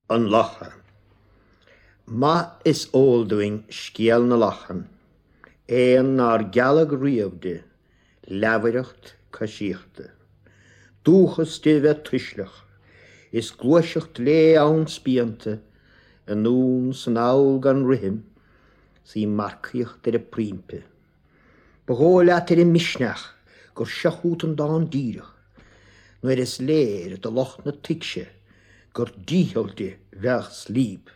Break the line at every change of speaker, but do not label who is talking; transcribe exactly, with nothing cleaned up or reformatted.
An Lacha. Maith is eol dúinn scéal na lachan, éan nár gealladh riamh di leamhaireacht coisíochta. Dúchas di bheith tuisleach, is gluaiseacht léi ann spíonta, anonn 's anall gan rithim, 's í marcaíocht ar a proimpe. Ba dhóigh leat ar an misneach gur seo chút an dán díreach, nuair is léir do lucht na tuigse gur dícheall di bheadh slíb.